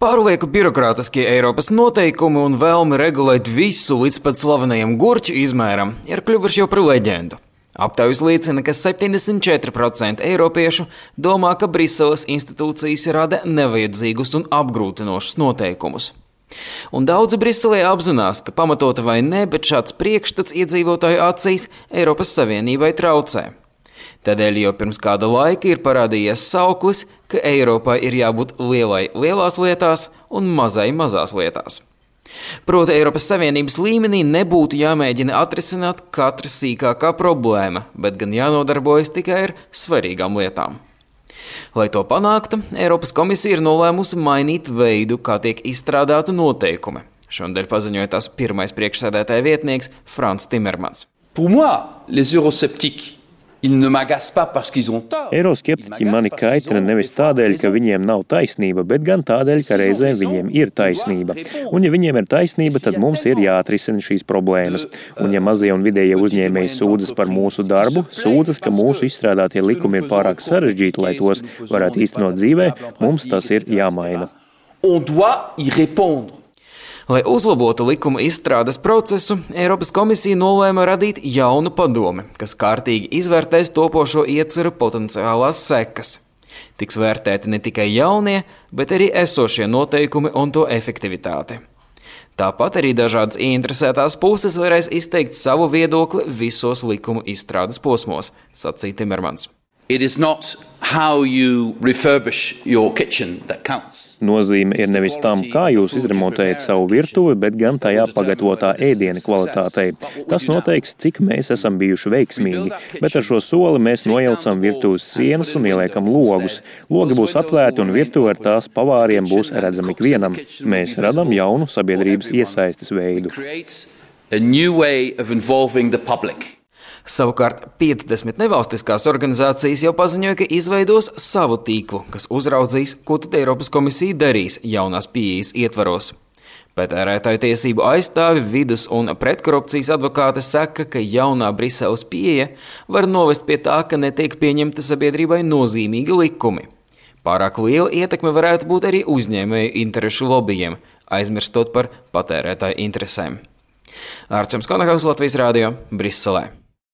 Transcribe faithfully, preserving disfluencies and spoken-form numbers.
Pārlieku birokrātiskie Eiropas noteikumi un vēlme regulēt visu līdz pat slavenajam gurķu izmēram ir kļuvuši jau par leģendu. Aptaujas liecina, ka septiņdesmit četri procenti eiropiešu domā, ka Briseles institūcijas rada nevajadzīgus un apgrūtinošus noteikumus. Un daudzi Briselē apzinās, ka pamatota vai ne, bet šāds priekšstats iedzīvotāju acīs Eiropas Savienībai traucē. Tādēļ jau pirms kāda laika ir parādījies sauklis, ka Eiropai ir jābūt lielai lielās lietās un mazai mazās lietās. Proti, Eiropas Savienības līmenī nebūtu jāmēģina atrisināt katra sīkākā problēma, bet gan jānodarbojas tikai ar svarīgām lietām. Lai to panāktu, Eiropas komisija ir nolēmusi mainīt veidu, kā tiek izstrādāti noteikumi. Šonadēļ paziņoja tās pirmais priekšsēdētāja vietnieks Frans Timermans. Pour moi, les eurosceptiques Eiroskeptiķi mani kaitina nevis tādēļ, ka viņiem nav taisnība, bet gan tādēļ, ka reizēm viņiem ir taisnība. Un ja viņiem ir taisnība, tad mums ir jāatrisina šīs problēmas. Un ja mazie un vidējie uzņēmēji sūdzas par mūsu darbu, sūdzas, ka mūsu izstrādātie likumi ir pārāk sarežģīti, lai tos varētu īstenot dzīvē, mums tas ir jāmaina. Lai uzlabotu likuma izstrādes procesu, Eiropas komisija nolēma radīt jaunu padomi, kas kārtīgi izvērtēs topošo ieceru potenciālās sekas. Tiks vērtēti ne tikai jaunie, bet arī esošie noteikumi un to efektivitāte. Tāpat arī dažādas ieinteresētās puses varēs izteikt savu viedokli visos likuma izstrādes posmos, sacīja Timermans. It is not how you refurbish your kitchen that counts. Nozīme ir nevis tam, kā jūs izremontējat savu virtuvi, bet gan tajā pagatavotā ēdiena kvalitātei. Tas noteiks, cik mēs esam bijuši veiksmīgi, bet ar šo soli mēs nojaucam virtuves sienas un ieliekam logus. Logi būs atvērti un virtuve ar tās pavāriem būs redzami ikvienam. Mēs radam jaunu sabiedrības iesaistes veidu. Savukārt piecdesmit nevalstiskās organizācijas jau paziņoja, ka izveidos savu tīklu, kas uzraudzīs, ko tad Eiropas komisija darīs jaunās pieejas ietvaros. Patērētāju tiesību aizstāvi, vidus un pretkorupcijas advokāte saka, ka jaunā Briseles pieeja var novest pie tā, ka netiek pieņemta sabiedrībai nozīmīgi likumi. Pārāk liela ietekme varētu būt arī uzņēmēju interešu lobbyiem, aizmirstot par patērētāju interesēm. Ārčams Konakavs, Latvijas Rādio, Briselē.